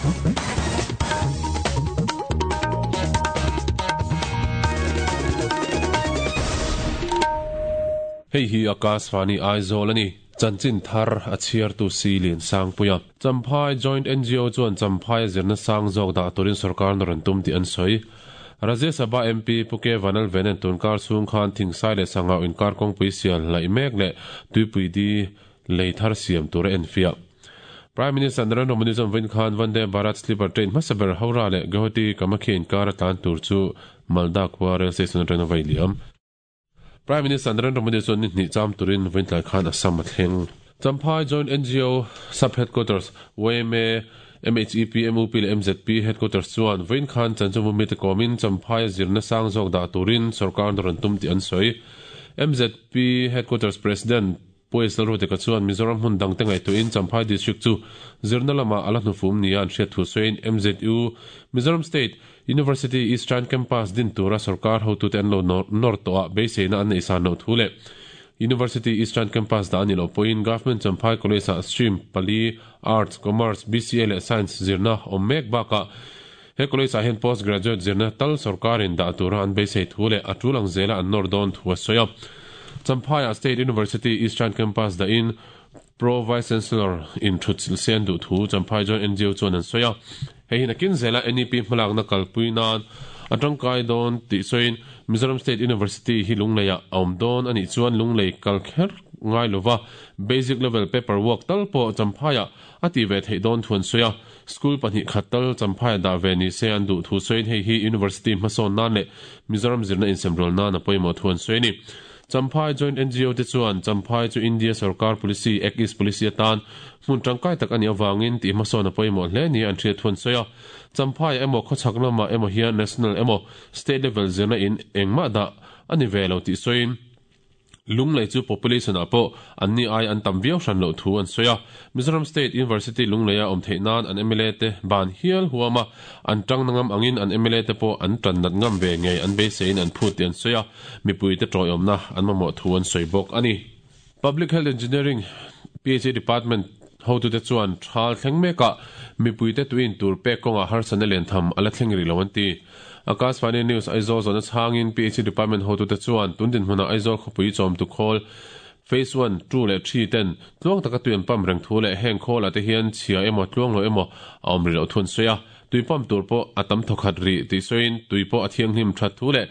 Hei hi Akashvani Aizawl a ni. Chanchin thar a chhiartu si Liansangpuia. Champhai Joint NGO chuan Champhai a zirna sang zawk dah turin sorkar nawr an tum tih an sawi. Rajya Sabha MP Pu K Vanlalvena'n tunkar chhung khan Thingsai leh Sangau inkar kawngpui sial hlaih mek leh Tuipui di lei thar siam tur a enfiah. Prime Minister Narendra Modi chuan vawiin khan Vande Bharat Sleeper Train hmasa ber Howrah leh Guwahati Kamakhya inkar a tlan tur chu Malda khua Rail Station atangin a vai liam. Prime Minister Narendra Modi chuan ni hnih cham turin vawiin tlai khan Assam a thleng. Champhai Joint NGO Sub Headquarters, yma, MHEP, MUP leh MZP Headquarters chuan vawiin khan Chanchawmu mite kawmin Champhai a zirna sang zawk dah turin sorkar nawr an tum tih an sawi. MZP Headquarters President Pu Lalruateka chuan Mizoram hmun dangte ngaihtuahin Champhai District chu zirna lamah a la hnufum nia an hriat thu sawiin MZU, Mizoram State University Eastern Campus din tura sorkar hotute an lo nawr tawh a beiseina an neih san loh thu leh University Eastern Campus dah a nih loh pawhin Government Champhai College-ah stream pali, Arts, Commerce, BCA leh Science zirna awm mek bakah he college-ah hian post graduate zirna tal sorkarin dah tura an beisei thu leh a tul ang zela an nawr dawn thu a sawi a. Champhaiah State University Eastern Campus dahin Pro Vice Chancellor in thutchilh se an duh thu Champhai Joint NGO chuan an sawi a. Hei hi nakin zela NEP hmalakna kalpui nan a tangkai dawn tih sawiin Mizoram State University hi Lungleiah a awm dawn a nih chuan Lunglei kal kher ngai lova basic level paper work tal pawh Champhaiah a tih ve theih dawn thu an sawi a. School pahnih khat tal Champhai dah ve ni se an duh thu sawiin hei hi University hmasawn nan leh Mizoram zirna insemrual nan a pawimawh thu an sawi a ni. Champhai Joint NGO te chuan Champhai chu India sorkar policy, Act East Policy atan hmun tangkai tak a nih avangin tih hmasawn a pawimawh hle nia an hriat thu an sawi a. Champhai emaw khawchhak lamah emaw hian national emaw state level zirna in engmah dah a ni ve lo tih sawiin, Lunglei chu population ah pawh anni ai an tam viau hran loh thu an sawi a. Mizoram State University Lungleia awm theih nan an mla te ban hial huam a, an tang na ngam angin an mla te pawh an tan nat ngam ve ngei an beiseiin an phut tih an sawi a, mipui te tawiawmna an mamawh thu an sawi bawk a ni. Public Health Engineering, PHE Department, hotute chuan thal thleng mekah mipuite tuiin tur pek kawngah harsatna liantham a la thleng rih lo an ti. Akashvani News Aizawl zawhna chhangin PHE Department hotute chuan tun dinhmunah Aizawl khawpui chawmtu khawl Phase One, Two leh Three ten tluang taka tui an pump reng thu leh heng khawlah te hian chhia emaw tluang lo emaw a awm rih loh thu an sawi a. Tui pump tur pawh a tam thawkhat rih tih sawiin tui pawh a thianghlim that thu leh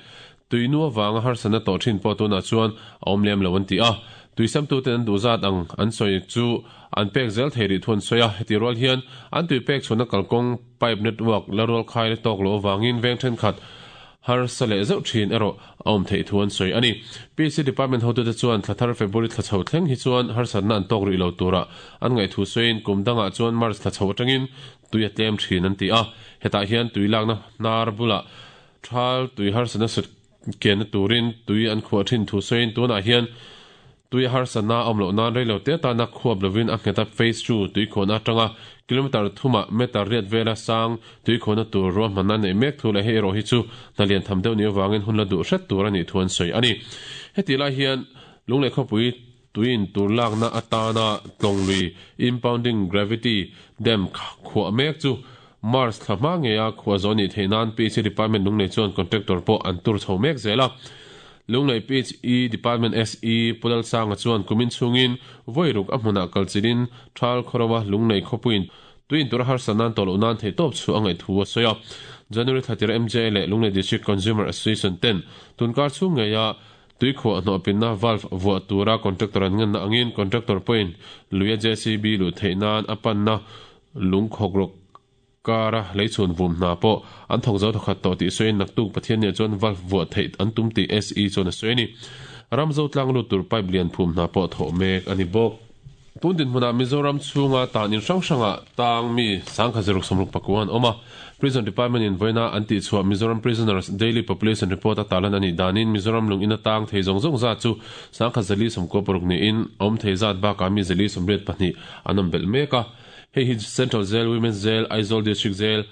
tui nu avanga harsatna tawh thin pawh tunah chuan a awm lem lo an ti a. Tui samtuten an duh zat ang an sawi chu an pek zel thei rih thu an sawi a. Heti rual hian an tui pek chhuahna kalkawng Pipe network la rual khai la tawk loh avangin veng thenkhat harsa leh zeuh thin erawh a awm theih thu an sawi a ni. PC Department hotute chuan thla thar February thla chho thleng hi chuan harsatna an tawk rih lo turah an ngaih thu sawiin kum dangah chuan March thla chho atangin tui a tlem thin an ti a. Hetah hian tui lakna hnar bulah thal tui harsatna sut Kenna turin tui an khuah thin thu sawiin tunah hian tui a harsatna a awm loh nan reilo te atana khuap lovin a nghet a phase two tui khuahna atanga kilometre thumah meter riat vela sang tui khuahna tur ruahmanna neih mek thu leh hei erawh hi chu hna lian tham deuh ni avangin hun la duh hret tur a nih thu an sawi a ni. Hetih lai hian Lunglei khawpui tuiin tur lakna atana tlawnglui impounding gravity dam khuah mek chu March thla hma ngeia khuah zawh nih theih nan PHE Department Lunglei chuan contractor pawh an tur chho mek zel a. Lunglei PHE Department SE Pu Lalsanga chuan kumin chhungin vawi ruk a hmunah kal chilhin Thal khawro-a Lunglei khawpuiin tuiin tura harsat nan tawh loh nan theihtawp chu a ngaih thu a sawi a. January thla tira MJA leh Lunglei District Consumer Association ten tunkar chhung ngeia Tuikhuah hnawhpinna valve vuah tura contractor an ngenna angin contractor pawhin luia JCB luh theih nan a panna lung khawkrawk kara leichhun vum hna pawh an thawk zo thawkhat tawh tih sawiin naktuk Pathianniah chuan valve vuah theih an tum tih SE chuan a sawi a ni. Ramzo tlang lut tur pipe lian phum hna pawh thawh mek a ni bawk. Tun dinhmunah Mizoram chhunga tan in hrang hrangah tang mi 1664 an awm a. Prison Department in vawiina an tihchhuah Mizoram Prisoners Daily Population Report a tarlan a nih danin Mizoram lung ina tang thei zawng zawng zat chu 1496 niin a awm thei zat bakah mi 482 an awm belh mek a. Hei hi Central Jail, Women's Jail, Aizawl District Jail,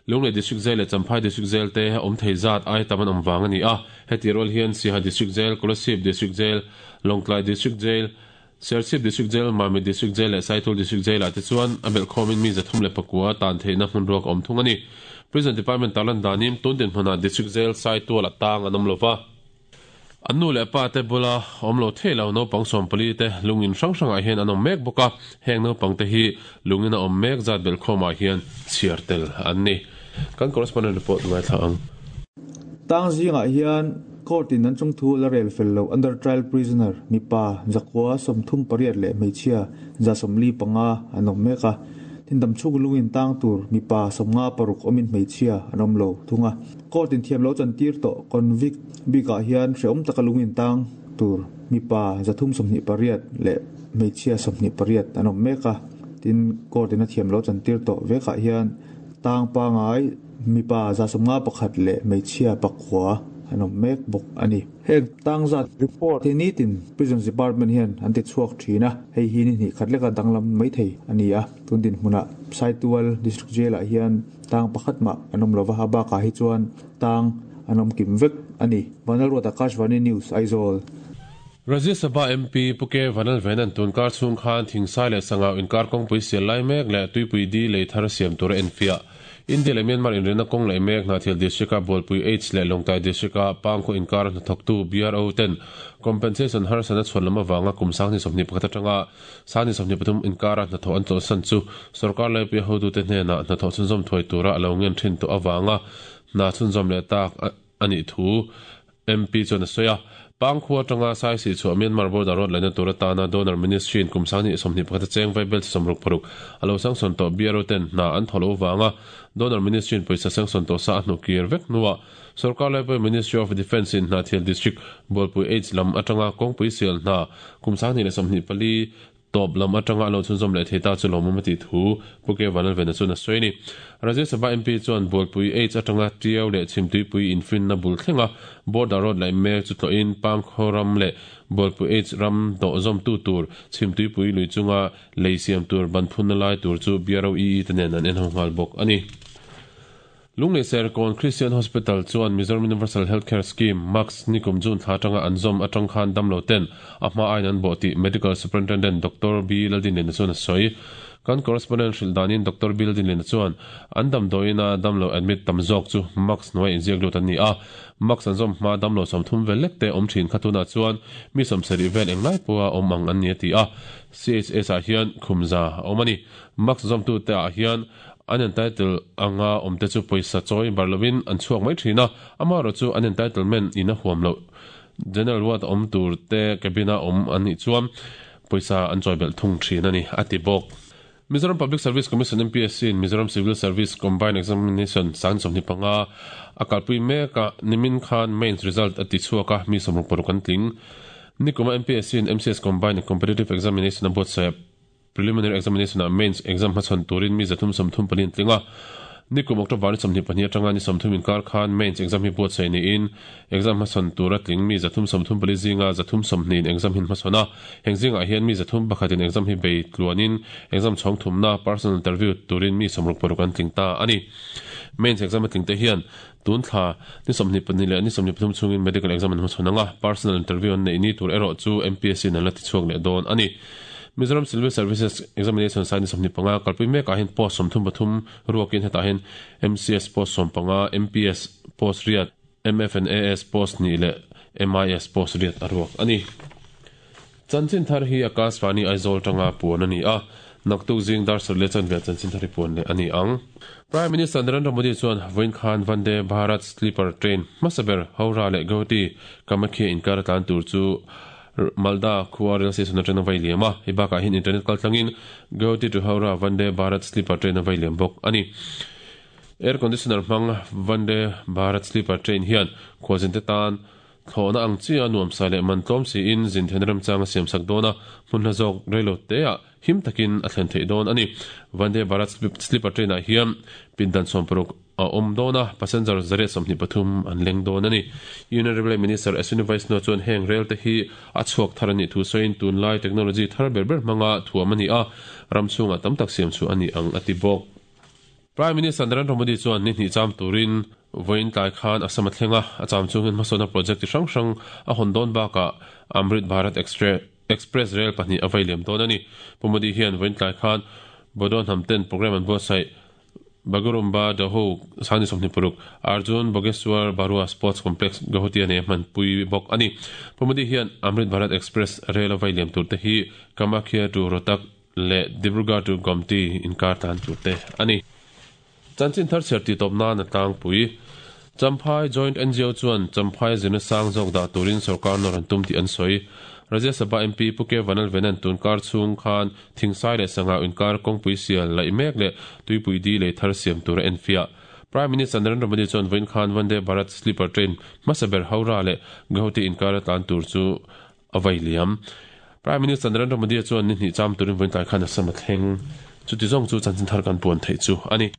Lunglei District Jail leh Champhai District Jail te awm thei zat ai tam an awm vang a ni a. Heti rual hian Siaha District Jail, Kolasib District Jail, Lawngtlai District Jail, Serchhip District Jail, Mamit District Jail leh Saitual District Jail ah te chuan a belhkhawmin mi 309 tan theihna hmun ruak a awm thung a ni. Prison Department tarlan danin tun dinhmunah District Jail Saitual a tang an awm lova. An nu leh pa te bula awm lo thei lo naupang 14 te lungin hrang hrangah hian an awm mek bawk a, heng naupang te hi lungin a awm mek zat belhkhawmah hian chhiar tel an ni. Kan correspondent report ngaithla ang. Tang zingah hian court in an chungthu la rel fel lo under trial prisoner mipa 138 leh hmeichhia 145 an awm mek a, tin damchhung lungin tang tur mipa 56 awmin hmeichhia an awm lo thung a. Court in thiam lo chantir tawh convict bikah hian hreawm taka lungin tang tur mipa 328 leh hmeichhia 28 an awm mek a, tin court in a thiam lo chantir tawh vekah hian tang pangai mipa 151 leh hmeichhia 9 an awm mek bawk a ni. Heng tang zat report hi nitin Prisons Department hian an ti chhuak thin a, hei hi ni hnih khat leka danglam mai thei a ni a. Tun dinhmunah Saitual District Jail ah hian tang pakhat mah an awm lova, a bakah hi chuan tang an awm kim vek a ni. Vanlalruat Akashvani News, Aizawl. Rajya Sabha MP Pu K Vanlalvenan tunkar chhung khan Thingsai leh Sangau inkar kawngpui sial lai mek leh Tuipui Di lei thar siam tur a enfiah. India leh Myanmar inrinna kawng leh mek Hnahthial District-a Bualpui H leh Lawngtlai District-a Pangkhaw inkar hnathawktu BRO ten compensation harsatna chhuan lam avanga kum 2021 atanga 2023 inkara hnathawh an chawlhsan chu sorkar laipuia hotute hnenah hnathawh chhunzawm thuai tura a lo ngen thin tawh avanga hna chhunzawm leh tak a nih thu MP chuan a sawi a. Pangkhua atanga Saisih chhuah Myanmar border road laihna tur atana Donor Ministry in kum 2021 a cheng vaibel chi 66 a lo sangsawn tawh BRO ten hna an thaw lo avanga Donor Ministry in pawisa sangsawn tawh sa a hnu kir vek hnuah sorkar laipui Ministry of Defence in Hnahthial District Bualpui H lam atanga kawngpui sial hna kum 2024 tawp lam atanga a lo chhunzawm leh thei ta chu lawmawm a tih thu Pu K Vanlalvena chuan a sawi a ni. Rajya Sabha MP chuan Bualpui H atanga Tiau leh Chhimtuipui infinna bul thlenga border road laih mek chu tlawhin Pangkhaw ram leh Bualpui H ram dawhzawmtu tur Chhimtuipui lui chunga lei siam tur ban phunna lai tur chu BROEE te nen an en ho nghal bawk a ni. Lunglei Serkawn Christian Hospital chuan Mizoram Universal Health Care Scheme, MACS, nikum June thla atanga an zawm atang khan damlo ten a hma aiin an bawh tih Medical Superintendent Doctor B Laldinliana chuan a sawi. Kan correspondent hrilh danin Doctor B Laldinliana chuan an damdawiina damlo admit tam zawk chu MACS hnuai inziak lut an ni a, MACS an zawm hma damlo 30 vel lek te awm thin kha tunah chuan mi 70 vel englai pawha awm ang an ni a ti a. CHS ah hian khumza a awm a ni. MACS zawmtute ah hian An entitle anga awmte chu pawisa chawi bar lovin an chhuak mai thin a, amaherawh chu an entitlement in a huam loh. General ward a awm tur te cabin a awm an nih chuan pawisa an chawi belh thung thin a ni, a ti bawk. Mizoram Public Service Commission, MPSC, in Mizoram Civil Service Combined Examination 2025 a kalpui mek a, nimin khan mains result a ti chhuak a, mi 66 an tling. Nikuma MPSC in MCS Combined and Competitive Examination a buatsaih. Preliminary Examination ah Mains exam hmachhawn turin mi 334 an tling a. Nikum October ni 22 atanga ni 30 inkar khan Mains exam hi buatsaih niin exam hmachhawn tura tling mi 334 zinga 320 in exam hi an hmachhawn a. Heng zingah hian mi 301 in exam hi bei tluanin exam chhawng thumna personal interview turin mi 66 an tling ta a ni. Mains exam a tling te hian tun thla ni 22 leh ni 23 chhungin medical exam an hmachhawn ang a, personal interview an neih ni tur erawh chu MPSC in an la tichhuak leh dawn a ni. Mizoram Civil Services Examination sai ni 25 kalpui mekah hian post 33 ruakin hetah hian MCS post 15, MPS post riat, MFNAS post hnih leh MIS post riat a ruak a ni. Chanchin thar hi Akashvani Aizawl tanga puan a ni a, naktuk zing dar sarih leh chanve chanchin thar hi puan leh a ni ang. Prime Minister Narendra Modi chuan vawiin khan Vande Bharat Sleeper Train hmasa ber Howrah leh Guwahati Kamakhya inkar a tlan tur chu Malda khua rail station atang a vai liam a, hei bakah hian internet kal tlangin Guwahati to Howrah Vande Bharat Sleeper Train a vai liam bawk a ni. Air conditioner hmang Vande Bharat Sleeper Train hian khualzinte tan thlawhna ang chi a nuamsa leh man tlawm siin zin theihna remchang a siamsak dawn a, hmun hla zawk reilo teah him takin a thlen theih dawn a ni. Vande Bharat Sleeper Train ah hian pindan 60 a awm dawn a, passenger 123 an leng dawn a ni. Union Railway Minister Ashwini Vaishnaw chuan heng rel te hi a chhuak thar a nih thu sawiin tunlai technology thar ber ber hmanga thuam a ni a, ram chhungah tam tak siam chhuah a ni ang a ti bawk. Prime Minister Narendra Modi chuan ni hnih cham turin vawiin tlai khan Assam a thleng a, a cham chungin hmasawnna project chi hrang hrang a hawn dawn bakah Amrit Bharat Express. Express Rail pahnih a vei liam dawn a ni. Pu Modi hian vawiin tlai khan Bodo hnam ten programme an buatsaih Bagurumba Daho Sangni 26 Arjun Bhogeswar Barua Sports Complex Guwahati a nei a hmanpui bawk a ni. Pu Modi hian Amrit Bharat Express Rail a vei liam tur te hi Kamakhya to Rohtak leh Dibrugarh to Gomti inkar tan tur te a ni. Chanchin thar chhiar tih tawp nan a tlangpui. Champhai Joint NGO chuan Champhai zirna sang zawk dah turin sorkar nawr an tum tih an sawi. Rajya Sabha MP Pu Ke Vanalvenan tun kar chhung khan Thingsai leh Sangau inkar kawngpui sial laih mek leh tuipui di lei thar siam tur a enfiah. Prime Minister Narendra Modi chuan vawiin khan Vande Bharat Sleeper Train hmasa ber Howrah leh Guwahati inkar a tlan tur chu a vai liam. Prime Minister Narendra Modi chuan ni hnih cham turin vawiin tlai khan Assam a thleng. Chuti zawng chu chanchin thar kan puan theih chu a ni.